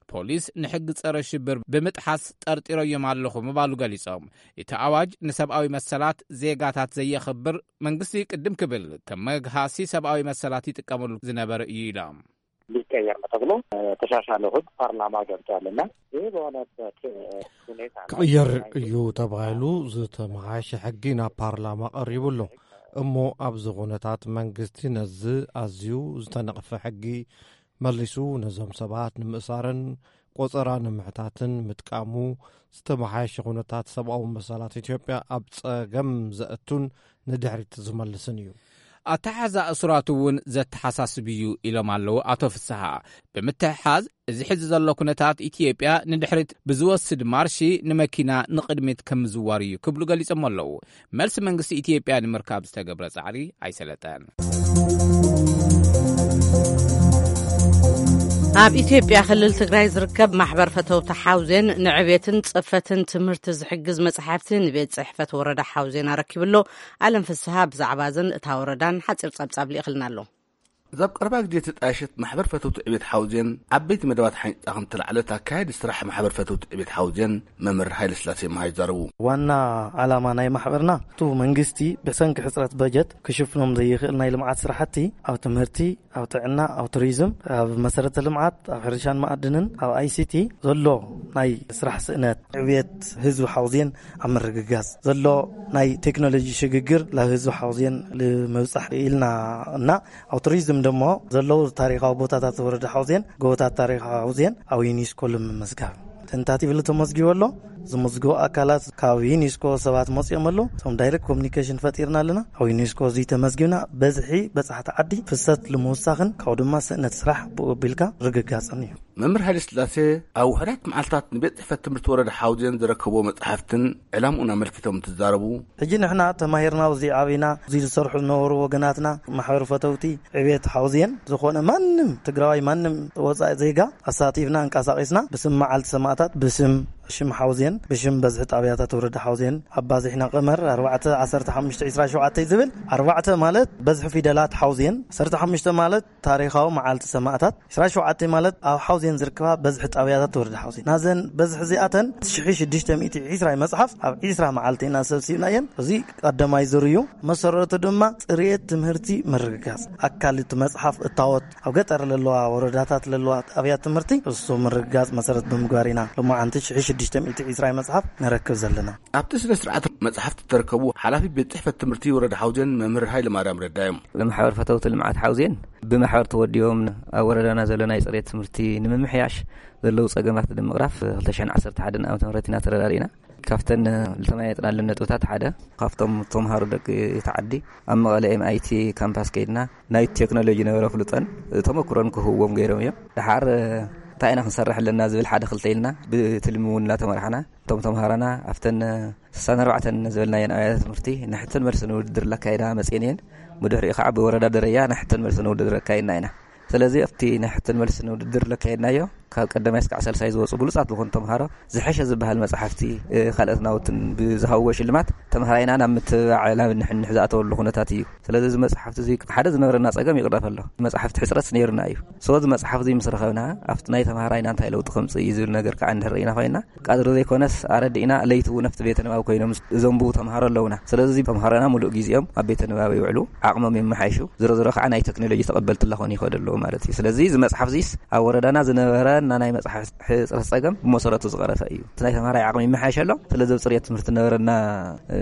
ፖሊስ ንሕጊ ጸረ ሽብር ብምጥሓስ ጠርጢረዮም ኣለኹ ምባሉ ገሊጾም። እቲ ኣዋጅ ንሰብኣዊ መሰላት ዜጋታት ዘየኽብር፣ መንግስቲ ቅድም ክብል ከም መግሃሲ ሰብኣዊ መሰላት ይጥቀመሉ ዝነበረ እዩ ኢሎም። ሊቀየር ነው ተብሎ ተሻሻለ ህግ ፓርላማ ገብቷልና። ይህ በሆነበት ሁኔታ ላይ ክቕየር እዩ ተባሂሉ ዝተመሓየሸ ሕጊ ናብ ፓርላማ ቀሪቡ ኣሎ። እሞ ኣብዚ ኩነታት መንግስቲ ነዚ ኣዝዩ ዝተነቕፈ ሕጊ መሊሱ ነዞም ሰባት ንምእሳርን ቆጸራ ንምሕታትን ምጥቃሙ ዝተመሓየሸ ኩነታት ሰብኣዊ መሰላት ኢትዮጵያ ኣብ ጸገም ዘእቱን ንድሕሪት ዝመልስን እዩ። ኣተሓሕዛ እሱራት እውን ዘተሓሳስብ እዩ ኢሎም ኣለዉ ኣቶ ፍስሃ። ብምትሕሓዝ፣ እዚ ሕዚ ዘሎ ኩነታት ኢትዮጵያ ንድሕሪት ብዝወስድ ማርሺ ንመኪና ንቕድሚት ከም ምዝዋር እዩ ክብሉ ገሊጾም ኣለዉ። መልሲ መንግስቲ ኢትዮጵያ ንምርካብ ዝተገብረ ጻዕሪ ኣይሰለጠን። ኣብ ኢትዮጵያ ክልል ትግራይ ዝርከብ ማሕበር ፈተውቲ ሓውዜን ንዕቤትን ጽፈትን ትምህርቲ ዝሕግዝ መጽሓፍቲ ንቤት ጽሕፈት ወረዳ ሓውዜን ኣረኪቡ ኣሎ። ኣለም ፍስሃ ብዛዕባ እዘን እታ ወረዳን ሓጺር ጸብጻብ ልኢኽልና ኣሎ። እዛ ኣብ ቀረባ ግዜ ተጣየሸት ማሕበር ፈተውቲ ዕቤት ሓውዜን ዓበይቲ መደባት ሓንጻ ከም ተላዕለት ኣካያዲ ስራሕ ማሕበር ፈተውቲ ዕቤት ሓውዜን መምህር ሃይለ ስላሴ መሃይ ዛረቡ። ዋና ዓላማ ናይ ማሕበርና፣ እቲ መንግስቲ ብሰንኪ ሕጽረት በጀት ክሽፍኖም ዘይኽእል ናይ ልምዓት ስራሕቲ ኣብ ትምህርቲ፣ ኣብ ጥዕና፣ ኣብ ቱሪዝም፣ ኣብ መሰረተ ልምዓት፣ ኣብ ሕርሻን መኣድንን፣ ኣብ ኣይ ሲ ቲ ዘሎ ናይ ስራሕ ስእነት፣ ዕብየት ህዝቢ ሓውዜን ኣብ ምርግጋጽ ዘሎ ናይ ቴክኖሎጂ ሽግግር ናብ ህዝቢ ሓውዜን ንምብጻሕ ኢልና እና ኣብ ቱሪዝም ደሞ ዘለዉ ታሪኻዊ ቦታታት ወረዳ ሓውዜን፣ ጎቦታት ታሪኻዊ ሓውዜን ኣብ ዩኒስኮ ንምምዝጋብ ተንታቲቭ ተመዝጊቡ ኣሎ። ዝምዝግቡ ኣካላት ካብ ዩኒስኮ ሰባት መፅኦም ኣለዉ። እቶም ዳይሬክት ኮሚኒኬሽን ፈጢርና ኣለና። ኣብ ዩኒስኮ እዚ ተመዝጊብና በዝሒ በፃሕቲ ዓዲ ፍሰት ንምውሳኽን ካብኡ ድማ ስእነት ስራሕ ብኡ ኣቢልካ ርግጋፅን እዩ። መምህር ሃይለ ስላሴ ኣብ ውሕዳት መዓልታት ንቤት ፅሕፈት ትምህርቲ ወረዳ ሓውዜን ዝረከብዎ መፅሓፍትን ዕላምኡን ኣመልኪቶም እንትዛረቡ፣ ሕጂ ንሕና ተማሂርና ኣብዚ ዓቢና እዚ ዝሰርሑ ዝነበሩ ወገናትና ማሕበር ፈተውቲ ዕቤት ሓውዜን ዝኾነ ማንም ትግራዋይ ማንም ወፃኢ ዜጋ ኣሳቲፍና እንቀሳቂስና ብስም መዓልቲ ሰማእታት ብስም ሽም ሓውዜን ብሽም በዝሒ ጣብያታት ወረዳ ሓውዜን ኣባዚሕና ቀመር ኣርባዕተ ዓሰርተ ሓሙሽተ ዕስራ ሸውዓተ ዝብል ኣርባዕተ ማለት በዝሒ ፊደላት ሓውዜን ዓሰርተ ሓሙሽተ ማለት ታሪኻዊ መዓልቲ ሰማእታት ዕስራ ሸውዓተ ማለት ኣብ ሓውዜን ዝርከባ በዝሒ ጣብያታት ወረዳ ሓውዜን ናዘን በዝሒ እዚኣተን ሽሕ ሽዱሽተ ሚእቲ ዕስራ መፅሓፍ ኣብ ዕስራ መዓልቲ ኢና ሰብሲብና እየን። እዚ ቀዳማይ ዙር እዩ። መሰረቱ ድማ ፅሬት ትምህርቲ ምርግጋፅ ኣካል እቲ መፅሓፍ እታወት ኣብ ገጠር ለለዋ ወረዳታት ለለዋ ኣብያት ትምህርቲ እሱ ምርግጋፅ መሰረት ብምግባር ኢና ሎማዓንቲ ሽሕ ሽዱሽተ ሽዱሽተ ሚእቲ ዕስራ መጽሓፍ ንረክብ ዘለና። ኣብቲ ስነ ስርዓት መጽሓፍቲ እተረከቡ ሓላፊ ቤት ጽሕፈት ትምህርቲ ወረዳ ሓውዜን መምህር ሃይለ ማርያም ረዳ እዮም። ብማሕበር ፈተውቲ ልምዓት ሓውዜን ብማሕበር ተወዲቦም ኣብ ወረዳና ዘሎ ናይ ጽሬት ትምህርቲ ንምምሕያሽ ዘለዉ ጸገማት ንምቕራፍ ክልተ ሽሕን ዓሰርተ ሓደን ዓመተ ምህረት ኢና ተረዳዲእና። ካብተን ዝተመያየጥናለን ነጥብታት ሓደ ካብቶም ተምሃሮ ደቂ እቲ ዓዲ ኣብ መቐለ ኤምኣይቲ ካምፓስ ከይድና ናይ ቴክኖሎጂ ነበረ ፍሉጠን ተመኩሮን ክህብዎም ገይሮም እዮም። ደሓር እንታይ ኢና ክንሰርሕ ኣለና ዝብል ሓደ ክልተ ኢልና ብትልሚ እውን እናተመራሕና እቶም ተምሃሮና ኣብተን ስሳን ኣርባዕተን ዝበልናየን ኣብያተ ትምህርቲ ናይ ሕቶን መልስን ውድድር ለካየዳ መፅኤን እየን። ብድሕሪኡ ከዓ ብወረዳ ደረጃ ናይ ሕቶን መልስን ውድድር ኣካይድና ኢና። ስለዚ ኣብቲ ናይ ሕቶን መልስን ውድድር ለካየድናዮ ካብ ቀዳማይ እስካዕ ሳልሳይ ዝወፁ ብሉፃት ዝኾኑ ተምሃሮ ዝሐሸ ዝበሃል መፅሓፍቲ ካልኦት ናውትን ብዝሃብዎ ሽልማት ተምሃራይና ናብ ምትብባዕ ናብ ንሕንሕ ዝኣተወሉ ኩነታት እዩ። ስለዚ እዚ መፅሓፍቲ እዚ ሓደ ዝነበረና ፀገም ይቕረፍ ኣሎ። መፅሓፍቲ ሕፅረት ነይሩና እዩ። ሰዚ መፅሓፍ እዚ ምስ ረኸብና ኣብቲ ናይ ተምሃራይና እንታይ ለውጢ ከምፅእ እዩ ዝብል ነገር ከዓ እንድሕር ኢና ኮይና ቀትሪ ዘይኮነስ ኣረዲእና ለይቲ እውን ኣብቲ ቤተ ንባብ ኮይኖም ዘንብቡ ተምሃሮ ኣለውና። ስለዚ ተምሃሮና ሙሉእ ግዜኦም ኣብ ቤተ ንባብ ይውዕሉ፣ ዓቕሞም የመሓይሹ። ዝሮ ዝሮ ከዓ ናይ ቴክኖሎጂ ተቐበልቲ ላኾኑ ይኸዱ ኣለዉ ማለት እዩ። ስለዚ እዚ መፅሓፍ እዚስ ኣብ ወረዳና ዝነበረና ናይ መፅሓፍ ሕፅረት ፀገም ብመሰረቱ ዝቐረፈ እዩ። እቲ ናይ ተምሃራይ ዓቕሚ ይመሓየሸ ኣሎ። ስለዚ ኣብ ፅሬት ትምህርቲ ነበረና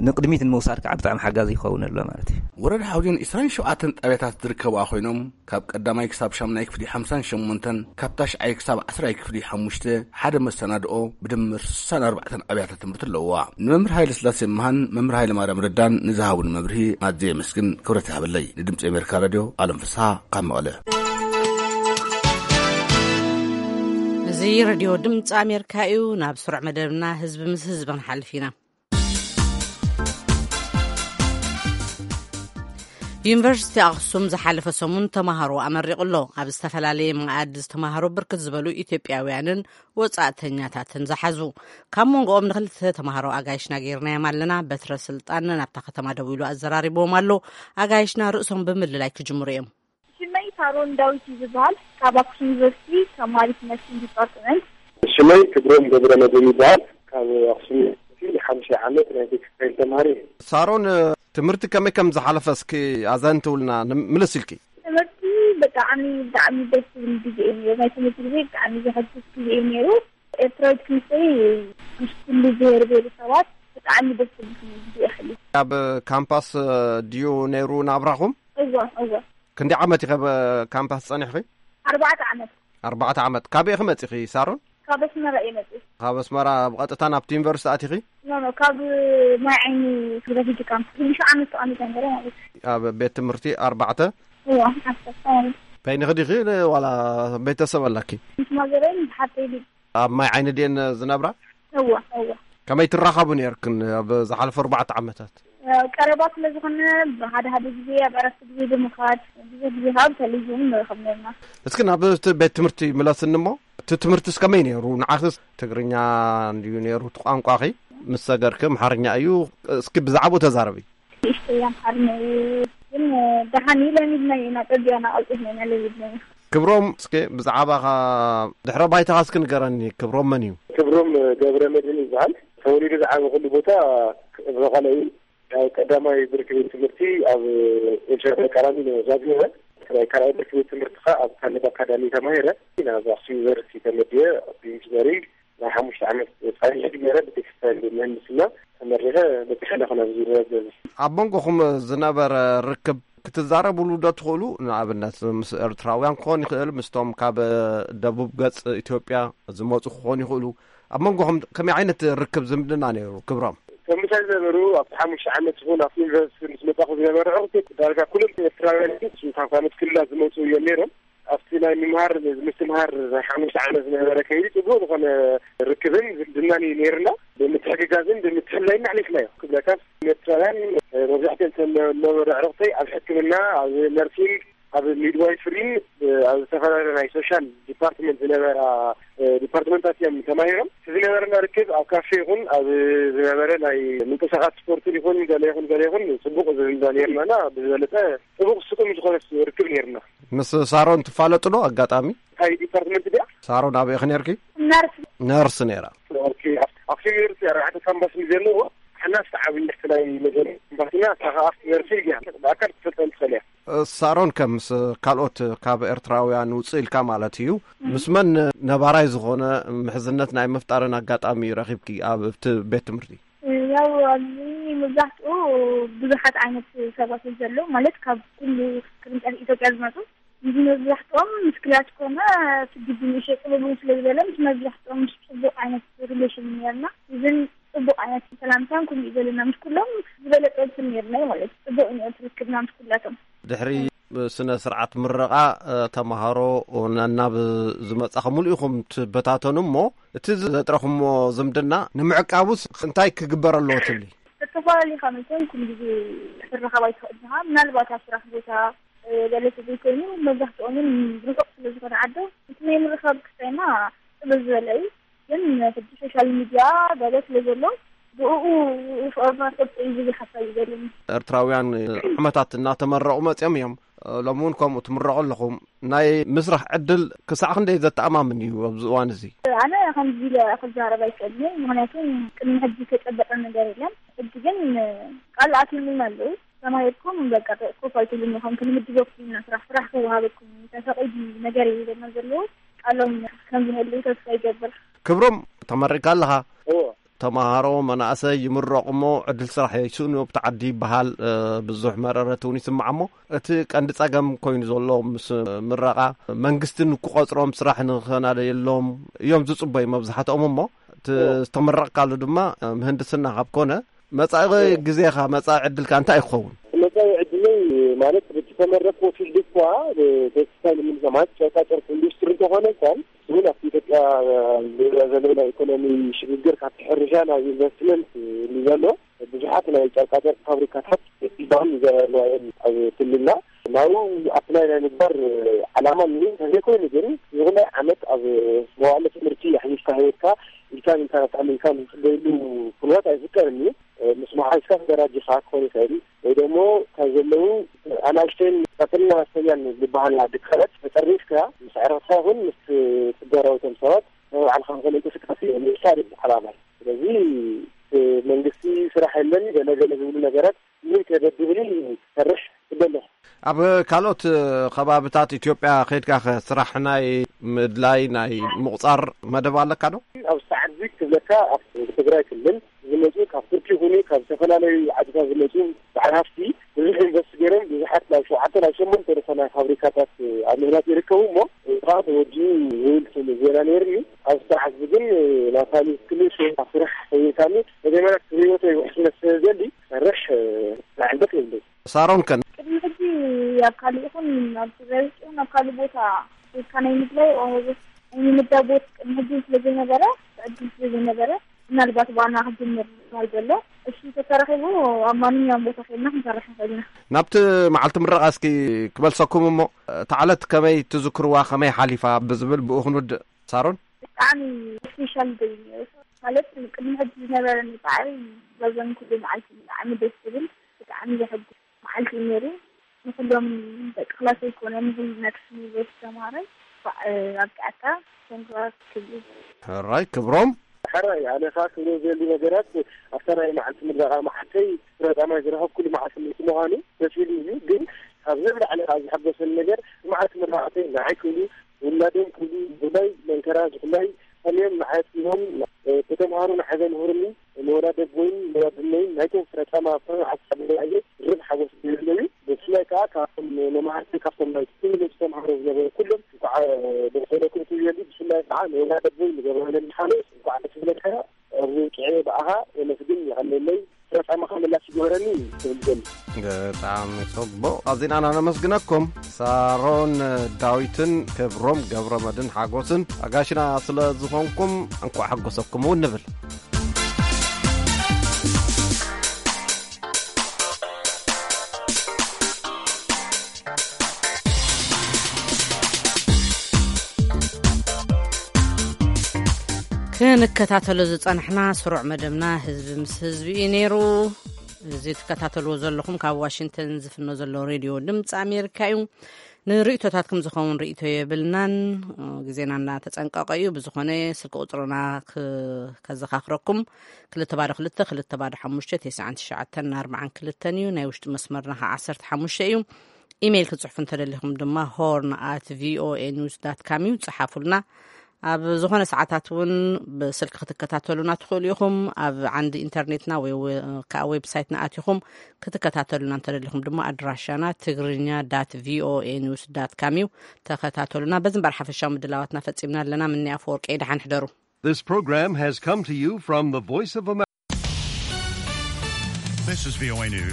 ንቕድሚት ንምውሳድ ከዓ ብጣዕሚ ሓጋዚ ይኸውን ኣሎ ማለት እዩ። ወረዳ ሓውዜን ዕስራን ሸውዓተን ጣብያታት ዝርከብኣ ኮይኖም ካብ ቀዳማይ ክሳብ ሻምናይ ክፍሊ ሓምሳን ሸሞንተን፣ ካብ ታሽዓይ ክሳብ ዓስራይ ክፍሊ ሓሙሽተ ሓደ መሰናድኦ ብድምር ስሳን ኣርባዕተን ኣብያተ ትምህርቲ ኣለውዋ። ንመምህር ሃይለ ስላሴ መሃን መምህር ሃይለ ማርያም ረዳን ንዝሃቡን መብርሂ ኣዝየ የመስግን። ክብረት ይሃበለይ። ንድምፂ ኣሜሪካ ራድዮ ኣለም ፍስሃ ካብ መቐለ። እዚ ሬድዮ ድምፂ ኣሜሪካ እዩ። ናብ ስሩዕ መደብና ህዝቢ ምስ ህዝቢ ክንሓልፍ ኢና። ዩኒቨርሲቲ ኣኽሱም ዝሓለፈ ሰሙን ተማሃሮ ኣመሪቑ ኣሎ። ኣብ ዝተፈላለየ መኣዲ ዝተማሃሩ ብርክት ዝበሉ ኢትዮጵያውያንን ወጻእተኛታትን ዝሓዙ። ካብ መንጎኦም ንክልተ ተማሃሮ ኣጋይሽና ጌርናዮም ኣለና። በትረ ስልጣን ናብታ ከተማ ደዊሉ ኣዘራሪብዎም ኣሎ። ኣጋይሽና ርእሶም ብምልላይ ክጅምሩ እዮም። ሽመይ ሳሮን ዳዊት እዩ ዝበሃል። ካብ ኣክሱም ዩኒቨርሲቲ ተማሪት ነርሲንግ ዲፓርትመንት። ሽመይ ክብሮም ገብረ መድህን ይበሃል። ካብ ኣክሱም ዩኒቨርሲቲ ሓምሻይ ዓመት ናይ ቴክስታይል ተማሪ እየ። ሳሮን፣ ትምህርቲ ከመይ ከም ዝሓለፈ እስኪ ኣዘንትውልና፣ ንም-፣ ምልስ ኢልኪ። ትምህርቲ ብጣዕሚ፣ ብጣዕሚ ደስ ዝብል ግዜ እዩ ነይሩ። ናይ ትምህርቲ ግዜ ብጣዕሚ ዘሐጉስ ግዜ እዩ ነይሩ። ኤርትራዊት ክንሰይ ምስ ኩሉ ብሄር ብሄረሰባት ብጣዕሚ ደስ ዝብል ግዜ የሕልፍ። ኣብ ካምፓስ ድዩ ነይሩ ናብራኹም? እወ፣ እወ። ክንደይ ዓመት ኢኸ ኣብ ካምፓስ ጸኒሕኺ? ኣርባዕተ ዓመት። ኣርባዕተ ዓመት። ካበይ ኢኺ መጺኺ ሳሮን? ካብ ኣስመራ እየ መጺእ። ካብ ኣስመራ ብቐጥታ ናብቲ ዩኒቨርሲቲ ኣቲኺ? ኖ፣ ኖ፣ ካብ ማይ ዓይኒ ዩኒቨርሲቲ ካምፕ። ክንዲ ሸው ዓመት ተቐሚጠ ነይረ ማለት እዩ። ኣብ ቤት ትምህርቲ ኣርባዕተ? እዋ፣ ዓሰርተ ማለት እዩ። በይንኺ ዲኺ ዋላ ቤተሰብ ኣላኪ? ምስ ማዘረይን ምስ ሓፍተይ ዲ። ኣብ ማይ ዓይኒ ድየን ዝነብራ? እዋ፣ እዋ። ከመይ ትራኸቡ ነይርክን ኣብ ዝሓለፈ ኣርባዕተ ዓመታት? ቀረባ ስለ ዝኾነ፣ ሓደ ሓደ ግዜ ኣብ ዕረፍቲ ግዜ ብምኻድ፣ ብዙሕ ግዜ ከዓ ብቴሌቪዥን ንራኸብ ነርና። እስኪ ናብ እቲ ቤት ትምህርቲ ምለስኒ እሞ፣ እቲ ትምህርትስ ከመይ ነይሩ? ንዓኽስ ትግርኛ እንድዩ ነይሩ እቲ ቋንቋኺ፣ ምስ ሰገርኪ ኣምሓርኛ እዩ። እስኪ ብዛዕባኡ ተዛረቢ። ንእሽተይ ኣምሓርኛ እዩ፣ ግን ደሓን እዩ። ለሚድናዮ ኢና፣ ጸቢቕና ቀልጢፍና ኢና ለሚድናዮ። ክብሮም፣ እስኪ ብዛዕባኻ ድሕረ ባይታኻ እስኪ ንገረኒ። ክብሮም መን እዩ? ክብሮም ገብረ መድህን ይበሃል። ተወሊዱ ዝዓበኹሉ ቦታ መቐለ እዩ። ኣብ ቀዳማይ ብርኪ ቤት ትምህርቲ ኣብ ኤልሻዳይ ቀራኒዮ ዛጊወ። ናይ ካልኣይ ብርኪ ቤት ትምህርቲ ኸኣ ኣብ ካልድ ኣካዳሚ ተማሂረ። ናብ ኣክሱም ዩኒቨርሲቲ ተመድየ፣ ኣብ ኢንጂነሪንግ ናይ ሓሙሽተ ዓመት ጻንሒት ገይረ፣ ብቴክስታይል ምህንድስና ተመሪቐ በጺሐ ኣለኹ ናብዚ ደረጃ እዚ። ኣብ መንጎኹም ዝነበረ ርክብ ክትዛረብሉ ዶ ትኽእሉ? ንኣብነት ምስ ኤርትራውያን ክኾን ይኽእል፣ ምስቶም ካብ ደቡብ ገጽ ኢትዮጵያ ዝመጹ ክኾኑ ይኽእሉ። ኣብ መንጎኹም ከመይ ዓይነት ርክብ ዝምድና ነይሩ ክብሮም? እቶም ምሳይ ዝነበሩ ኣብቲ ሓሙሽተ ዓመት ይኹን ኣብቲ ዩኒቨርሲቲ ምስ መጻኹ ዝነበረ ዕርክት ዳርጋ ኩሎም ኤርትራውያን እዮም። ካብ ካልኦት ክልላት ዝመጹ እዮም ነይሮም። ኣብቲ ናይ ምምሃር ምስትምሃር ናይ ሓሙሽተ ዓመት ዝነበረ ከይዲ ጽቡቕ ዝኾነ ርክብን ዝምድናን እዩ ነይርና። ብምትሕግጋዝን ብምትሕልላይን ኣሕሊፍናዮ ክብለካ። ኤርትራውያን መብዛሕትኦም እቶም ዝነበሩ ዕርክተይ ኣብ ሕክምና፣ ኣብ ነርሲንግ፣ ኣብ ሚድዋይፍሪን ኣብ ዝተፈላለዩ ናይ ሶሻል ዲፓርትመንት ዝነበራ ዲፓርትመንታት እዮም ተማሂሮም። እቲ ዝነበረና ርክብ ኣብ ካፌ ይኹን ኣብ ዝነበረ ናይ ምንቅስቃስ ስፖርትን ይኹን ገለ ይኹን ገለ ይኹን ጽቡቕ ዝምዳ ነይርናና። ብዝበለጸ ጽቡቕ ስጡም ዝኾነ ርክብ ነይርና። ምስ ሳሮን ትፋለጡ ዶ ኣጋጣሚ? እንታይ ዲፓርትመንት ድያ? ሳሮን ኣበይ ኢኺ ነርኪ? ነርስ። ነርስ ነይራ። ኦኬ፣ ኣብ-፣ ኣክሱም ዩኒቨርሲቲ ኣርባዕተ ካምፓስ እዩ ዘለዎ። ሓና ዝተዓብየ ናይ መጀመርያ ካምፓስና፣ እታ ኸኣ ኣብቲ ዩኒቨርሲቲ እያ። ብኣካል ክትፈልጠን ትኽእል እያ። ሳሮን፣ ከም ምስ ካልኦት ካብ ኤርትራውያን ውፅእ ኢልካ ማለት እዩ፣ ምስ መን ነባራይ ዝኾነ ምሕዝነት ናይ ምፍጣርን ኣጋጣሚ ረኺብኪ ኣብ እቲ ቤት ትምህርቲ? ያው ኣብዚ መብዛሕትኡ ብዙሓት ዓይነት ሰባት እዮም ዘለዉ፣ ማለት ካብ ኩሉ ቅርንጫፍ ኢትዮጵያ ዝመፁ። እዚ መብዛሕትኦም ምስ ክላስ ኮነ እቲ ግቢ ንእሽተይ ቅልል ስለ ዝበለ ምስ መብዛሕትኦም ምስ ፅቡቕ ዓይነት ሪሌሽን ነርና። ኢቭን ፅቡቕ ዓይነት ሰላምታን ኩሉ እዩ ዘለና። ምስ ኩሎም ዝበለፀ እንትን ነርና እዩ ማለት እዩ። ፅቡቕ እዩ ነይሩ ትርክብና ምስ ኩላቶም። ድሕሪ ስነ ስርዓት ምረቓ፣ እ፣ ተምሃሮ ናናብ ዝመጻኹም ሙሉ ኢኹም ትበታተኑ እሞ፣ እቲ ዘጥረኹሞ ዝምድና ንምዕቃቡስ እንታይ ክግበር ኣለዎ ትብሊ? ዝተፈላለዩ ካብ መቸም ኩሉ ግዜ ክትራኸብ ኣይትኽእል ኢኻ። ምናልባት ኣብ ስራሕ ቦታ፣ እ፣ ገለ ተዘይኮይኑ መብዛሕትኦምን ርሑቕ ስለ ዝኾነ ዓዶም፣ እቲ ናይ ምርኻብ ክስታይና ጽብብ ዝበለ እዩ። ግን ሕጂ ሶሻል ሚድያ ገለ ስለ ዘሎ፣ ብእኡ ፍቕርና ክቕጽል እዩ ዝብል ሓሳብ እዩ ዘለኒ። ኤርትራውያን ዓመታት እናተመረቑ መጺኦም እዮም። ሎሚ እውን ከምኡ ትምረቑ ኣለኹም። ናይ ምስራሕ ዕድል ክሳዕ ክንደይ ዘተኣማምን እዩ ኣብዚ እዋን እዚ? ኣነ ከምዚ ኢለ ክዛረብ ኣይክእልን እየ፣ ምኽንያቱ ቅድሚ ሕጂ ዝተጨበጠ ነገር የለን። ሕጂ ግን ቃል ኣትዩልና ኣለዉ። ተማሂርኩም በቃ ኮፍ ኣይትብሉን ኢኹም፣ ክንምድበኩም ኢና ስራሕ፣ ስራሕ ክወሃበኩም እዩ፣ ተፈቒዱ ነገር እዩ ይብለና ዘለዉ። ቃሎም ከም ዝህልው ተስፋ ይገብር። ክብሮም፣ ተመሪካ ኣለኻ? እዎ። ተማሃሮ መናእሰይ ይምረቑ እሞ ዕድል ስራሕ ይስእኑ ኣብቲ ዓዲ ይበሃል። እ፣ ብዙሕ መረረት እውን ይስማዕ እሞ እቲ ቀንዲ ጸገም ኮይኑ ዘሎ ምስ ምረቓ መንግስቲ ንክቆጽሮም ስራሕ ንኸናደየሎም እዮም ዝጽበዩ መብዛሕትኦም እሞ እቲ እዎ። ዝተመረቕካሉ ድማ ምህንድስና ካብ ኮነ መጻኢ እዎ። ግዜኻ መጻኢ ዕድልካ እንታይ ክኸውን? መጻኢ ዕድለይ ማለት ብቲ ተመረቕኩ ፊልድ እኳ ቴክስታይል ምንዛማት ጨርቃጨርቅ ኢንዱስትሪ እንተኾነ እንኳን እውን ኣብቲ ኢትዮጵያ ዝርአ ዘሎ ናይ ኢኮኖሚ ሽግግር ካብቲ ሕርሻ ናብ ኢንቨስትመንት እዩ ዘሎ። ብዙሓት ናይ ጨርቃጨርቅ ፋብሪካታት ዲዛይን ይገበርና እዮም ኣብ ክልልና። ናብኡ ኣፕላይ ናይ ምግባር ዓላማ እኒኦ እንተዘይኮይኑ ግን ይኹላይ ዓመት ኣብ መዋእለ ትምህርቲ ኣሕሊፍካ ህይወትካ ኢልካ ኢልካ ናብታ ኢልካ ዝፅበየሉ ኩነታት ኣይፍጠርን እዩ። ምስ መሓዝካ ተደራጅኻ ክኾን ይኽእል ወይ ደግሞ ካብ ዘለዉ ኣናእሽተይን ቀጥልና ኣስተኛን ዝበሃላ ድካላት ተጠርኒፍካ ምስ ዕረፍትካ ይኹን ምስ ትጋራውቶም ሰባት ናይ ባዕልኻ ዝኾነ እንቅስቃሴ ምፍጣር እዩ ዓላማ። ስለዚ መንግስቲ ስራሕ የለን ገለ ገለ ዝብሉ ነገራት ምን ከበድብኒ ሰርሕ ይበለኹ። ኣብ ካልኦት ከባብታት ኢትዮጵያ ከይድካ ከ ስራሕ ናይ ምድላይ ናይ ምቑፃር መደብ ኣለካ ዶ? ኣብ ሰዓት እዚ ክብለካ ኣብ ትግራይ ክልል ዝመፁ ካብ ቱርኪ ይኹኑ ካብ ዝተፈላለዩ ዓድታት ዝመፁ በዓል ሃፍቲ ብዙሕ ኢንቨስት ገይሮም ብዙሓት ናብ ሸውዓተ ናብ ሸሞንተ ዝኾና ፋብሪካታት ኣብ ምህናፅ ይርከቡ እሞ እዛ ተወዲኡ ዝብል ስም ዜና ነይሩኒ። ኣብ ሰዓት እዚ ግን ናታኒ ክልል ካብ ስራሕ ሰይርካኒ መጀመርያ ክህይወተይ ውሕስነት ስለ ዘሊ ሰርሕ ላዕልበት የብለይ። ሳሮን ከን ቅድሚ ሕጂ ኣብ ካልእ ይኹን ኣብ ትግራይ ውሽጥ ይኹን ኣብ ካልእ ቦታ ኬድካ ናይ ምድላይ ናይ ምምዳብ ቦታ ቅድሚ ሕጂ ስለ ዘይነበረ ዕድል ስለ ዘይነበረ ምናልባት ዋና ክጅምር ይባል ዘሎ። እሺ ተተረኺቡ ኣብ ማንኛውም ቦታ ኬድና ክንሰርሕ ንኽእል ኢና። ናብቲ መዓልቲ ምረቓ እስኪ ክመልሰኩም እሞ እታ ዕለት ከመይ ትዝክርዋ ከመይ ሓሊፋ ብዝብል ብኡ ክንውድእ። ሳሮን ብጣዕሚ ስፔሻል ደይ ነይሩ ማለት ቅድሚ ሕጂ ዝነበረኒ ፃዕሪ በዘን ኩሉ መዓልቲ ብጣዕሚ ደስ ዝብል ብጣዕሚ ዘሐጉስ መዓልቲ እዩ ነይሩ። ንኩሎም ደቂ ክላሰይ ኮነ ንኩሉ ናይ ክፍሊ ቤት ተምሃራይ እንኳዕ ኣብቅዐካ ኮንግራ ክብል። ሕራይ ክብሮም። ሕራይ ኣነ ኸዓ ክብሎ ዘሊ ነገራት ኣብታ ናይ መዓልቲ ምረቓ መዓልተይ ፍረጣማይ ዝረኸብኩሉ መዓልቲ ምእንቲ ምዃኑ ደስ ኢሉ እዩ። ግን ካብዚ ንላዕሊ ከዓ ዝሓጎሰኒ ነገር መዓልቲ ምረቓተይ ንዓይ ክብሉ ውላዶም ክብሉ ብፍላይ መንከራ ዝፍላይ ከመዮም ንዓይ ኣፅኒኦም ዝተምሃሩ ንዓይ ዘምህሩኒ ንወላዲ ኣቦይን ንወላዲ እነይን ናይቶም ፍረጣማ ፍረ ዓሳብ ንዓየ ድርብ ሓጎስ ዝህብለዩ። ብፍላይ ከዓ ካብቶም መማህርቲ ካብቶም ናይ ትምህርቲ ዝተምሃሩ ዝነበሩ ኩሎም እንኳዕ ደስ በለኩም ትብለሉ። ብፍላይ ከዓ ንወላዲ ኣቦይ ንገብረለን ሓሎስ እንኳዕ ደስ በለካ። ኣብዚ ውቅዐ ብኣኻ የመስግን ይቐለለይ። ፍረጣማኻ ምላሽ ይግበረኒ ክብል ዘሉ። ብጣዕሚ ጽቡቕ ኣዚና ነመስግነኩም። ሳሮን ዳዊትን ክብሮም ገብረመድን ሓጎስን ኣጋሽና ስለ ዝኾንኩም እንኳዕ ሓጎሰኩም እውን ንብል። ክንከታተሎ ዝጸናሕና ስሩዕ መደብና ህዝቢ ምስ ህዝቢ እዩ ነይሩ። እዚ ትከታተልዎ ዘለኹም ካብ ዋሽንግተን ዝፍኖ ዘሎ ሬድዮ ድምፂ ኣሜሪካ እዩ። ንርእይቶታትኩም ዝኸውን ርእይቶ የብልናን። ግዜና እናተጸንቀቐ እዩ። ብዝኾነ ስልኪ ቁጽርና ክ-፣ ከዘኻኽረኩም ክልተ ባዶ ክልተ ክልተ ባዶ ሓሙሽተ ተስዓን ትሽዓተን ኣርባዓን ክልተን እዩ። ናይ ውሽጢ መስመርና ከዓ ዓሰርተ ሓሙሽተ እዩ። ኢሜይል ክትጽሕፉ እንተደሊኹም ድማ ሆርን ኣት ቪኦኤ ኒውስ ዳት ካም እዩ፣ ጽሓፉልና። ኣብ ዝኾነ ሰዓታት እውን ብስልኪ ክትከታተሉና ትኽእሉ ኢኹም። ኣብ ዓንዲ ኢንተርኔትና ወይ ወ- ከዓ ዌብሳይትና ኣቲኹም ክትከታተሉና እንተደሊኹም ድማ ኣድራሻና ትግርኛ ዳት ቪኦኤ ኒውስ ዳት ካም እዩ። ተኸታተሉና። በዚ እምበር ሓፈሻዊ ምድላዋትና ፈጺምና ኣለና። ምኒ ኣፈወርቂ፣ ደሓን ሕደሩ። This program has come to you from the Voice of America. This is V O A News.